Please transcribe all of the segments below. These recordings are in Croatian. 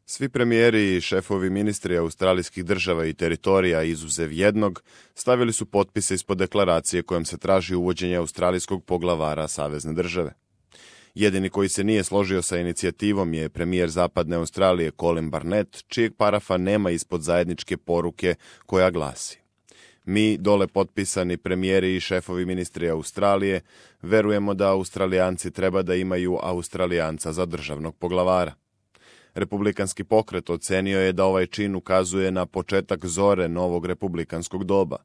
Svi premijeri i šefovi ministri australijskih država i teritorija, izuzev jednog, stavili su potpise ispod deklaracije kojom se traži uvođenje australijskog poglavara savezne države. Jedini koji se nije složio sa inicijativom je premijer Zapadne Australije Colin Barnett, čijeg parafa nema ispod zajedničke poruke koja glasi: Mi, dole potpisani premijeri i šefovi ministri Australije, verujemo da Australijanci treba da imaju Australijanca za državnog poglavara. Republikanski pokret ocenio je da ovaj čin ukazuje na početak zore novog republikanskog doba.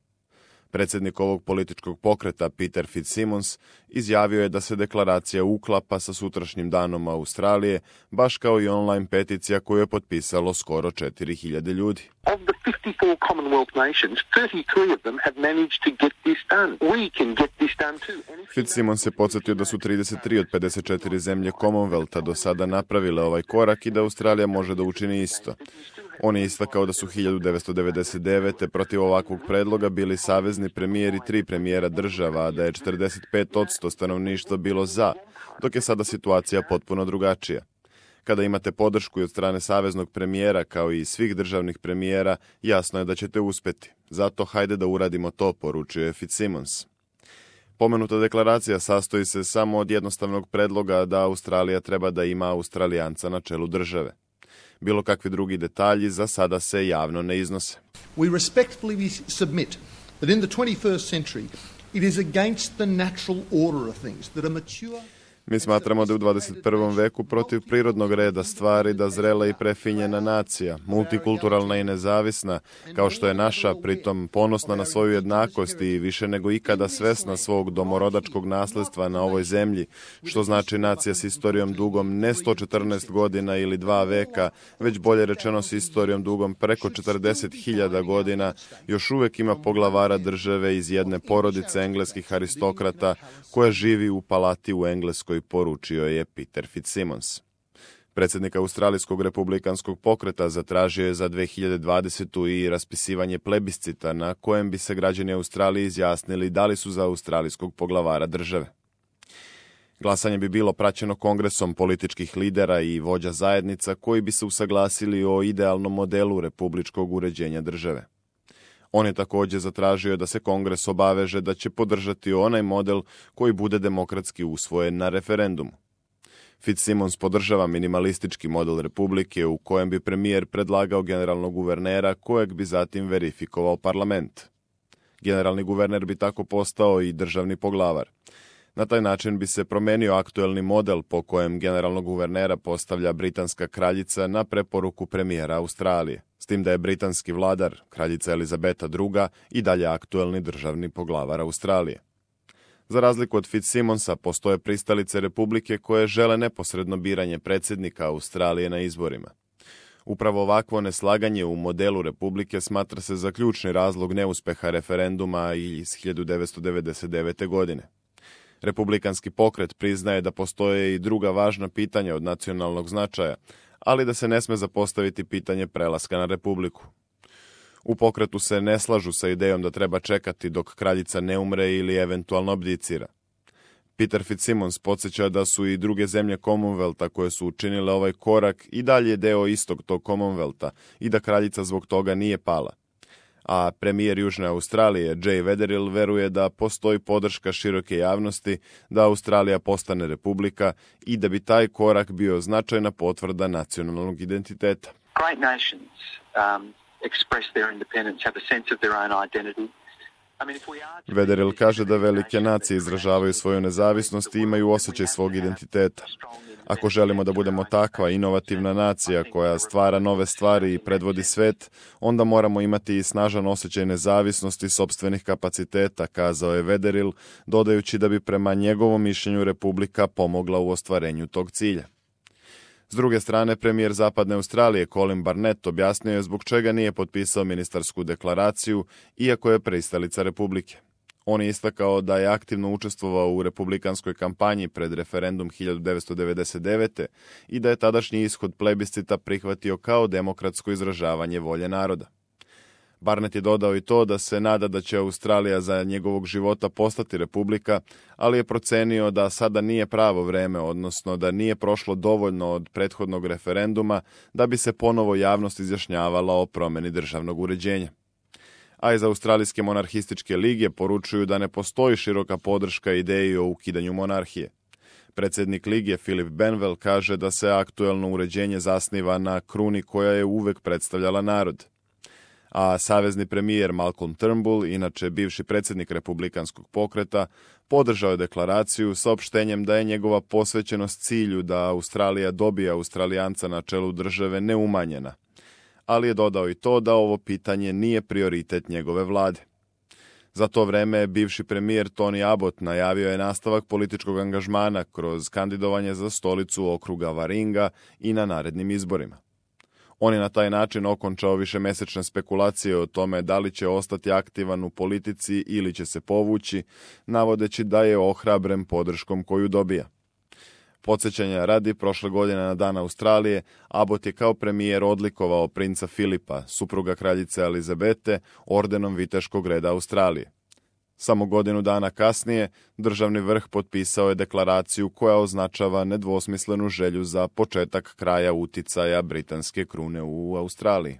Predsjednik ovog političkog pokreta, Peter Fitzsimmons, izjavio je da se deklaracija uklapa sa sutrašnjim danom Australije, baš kao i online peticija koju je potpisalo skoro 4.000 ljudi. Of the 54 Commonwealth nations, 33 of them have managed to get this done. We can get this done too. Fitzsimmons se podsjetio da su 33 od 54 zemlje Commonwealtha do sada napravile ovaj korak i da Australija može da učini isto. On je istakao da su 1999. protiv ovakvog predloga bili savezni premijeri 3 premijera država, a da je 45% stanovništva bilo za, dok je sada situacija potpuno drugačija. Kada imate podršku i od strane saveznog premijera, kao i svih državnih premijera, jasno je da ćete uspeti. Zato hajde da uradimo to, poručio je Fitzsimmons. Pomenuta deklaracija sastoji se samo od jednostavnog predloga da Australija treba da ima Australijanca na čelu države. Bilo kakvi drugi detalji za sada se javno ne iznose. We respectfully submit that in the 21st century it is against the natural order of things that a mature. Mi smatramo da je u 21. veku protiv prirodnog reda stvari da zrela i prefinjena nacija, multikulturalna i nezavisna, kao što je naša, pritom ponosna na svoju jednakost i više nego ikada svesna svog domorodačkog nasledstva na ovoj zemlji, što znači nacija s istorijom dugom ne 114 godina ili 2 veka, već bolje rečeno s istorijom dugom preko 40.000 godina, još uvek ima poglavara države iz jedne porodice engleskih aristokrata koja živi u palati u Engleskoj, poručio je Peter Fitzsimmons. Predsjednik Australijskog republikanskog pokreta zatražio je za 2020. i raspisivanje plebiscita na kojem bi se građani Australije izjasnili da li su za australijskog poglavara države. Glasanje bi bilo praćeno kongresom političkih lidera i vođa zajednica koji bi se usaglasili o idealnom modelu republičkog uređenja države. On je također zatražio da se kongres obaveže da će podržati onaj model koji bude demokratski usvojen na referendumu. Fitzsimmons podržava minimalistički model republike u kojem bi premijer predlagao generalnog guvernera kojeg bi zatim verifikovao parlament. Generalni guverner bi tako postao i državni poglavar. Na taj način bi se promenio aktuelni model po kojem generalnog guvernera postavlja britanska kraljica na preporuku premijera Australije, s tim da je britanski vladar, kraljica Elizabeta II, i dalje aktuelni državni poglavar Australije. Za razliku od Fitzsimmonsa, postoje pristalice republike koje žele neposredno biranje predsjednika Australije na izborima. Upravo ovakvo neslaganje u modelu republike smatra se za ključni razlog neuspeha referenduma iz 1999. godine. Republikanski pokret priznaje da postoje i druga važna pitanja od nacionalnog značaja, ali da se ne sme zapostaviti pitanje prelaska na republiku. U pokretu se ne slažu sa idejom da treba čekati dok kraljica ne umre ili eventualno abdicira. Peter Fitzsimmons podsjeća da su i druge zemlje Commonwealtha koje su učinile ovaj korak i dalje deo istog tog Commonwealtha i da kraljica zbog toga nije pala. A premijer Južne Australije, Jay Weatherill, veruje da postoji podrška široke javnosti da Australija postane republika i da bi taj korak bio značajna potvrda nacionalnog identiteta. Great nations express their independence, have a sense of their own identity. Weatherill kaže da velike nacije izražavaju svoju nezavisnost i imaju osjećaj svog identiteta. Ako želimo da budemo takva inovativna nacija koja stvara nove stvari i predvodi svet, onda moramo imati i snažan osjećaj nezavisnosti sopstvenih kapaciteta, kazao je Weatherill, dodajući da bi prema njegovom mišljenju republika pomogla u ostvarenju tog cilja. S druge strane, premijer Zapadne Australije Colin Barnett objasnio je zbog čega nije potpisao ministarsku deklaraciju, iako je pristalica republike. On je istakao da je aktivno učestvovao u republikanskoj kampanji pred referendum 1999. i da je tadašnji ishod plebiscita prihvatio kao demokratsko izražavanje volje naroda. Barnett je dodao i to da se nada da će Australija za njegovog života postati republika, ali je procenio da sada nije pravo vreme, odnosno da nije prošlo dovoljno od prethodnog referenduma da bi se ponovo javnost izjašnjavala o promjeni državnog uređenja. A iz Australijske monarhističke lige poručuju da ne postoji široka podrška ideji o ukidanju monarhije. Predsjednik lige Philip Benwell kaže da se aktuelno uređenje zasniva na kruni koja je uvek predstavljala narod. A savezni premijer Malcolm Turnbull, inače bivši predsjednik republikanskog pokreta, podržao je deklaraciju saopštenjem da je njegova posvećenost cilju da Australija dobije Australijanca na čelu države neumanjena, ali je dodao i to da ovo pitanje nije prioritet njegove vlade. Za to vreme bivši premijer Tony Abbott najavio je nastavak političkog angažmana kroz kandidovanje za stolicu okruga Waringa i na narednim izborima. On je na taj način okončao višemesečne spekulacije o tome da li će ostati aktivan u politici ili će se povući, navodeći da je ohrabren podrškom koju dobija. Podsjećanja radi, prošle godine na Dan Australije, Abbott je kao premijer odlikovao princa Filipa, supruga kraljice Elizabete, ordenom Viteškog reda Australije. Samo godinu dana kasnije, državni vrh potpisao je deklaraciju koja označava nedvosmislenu želju za početak kraja uticaja britanske krune u Australiji.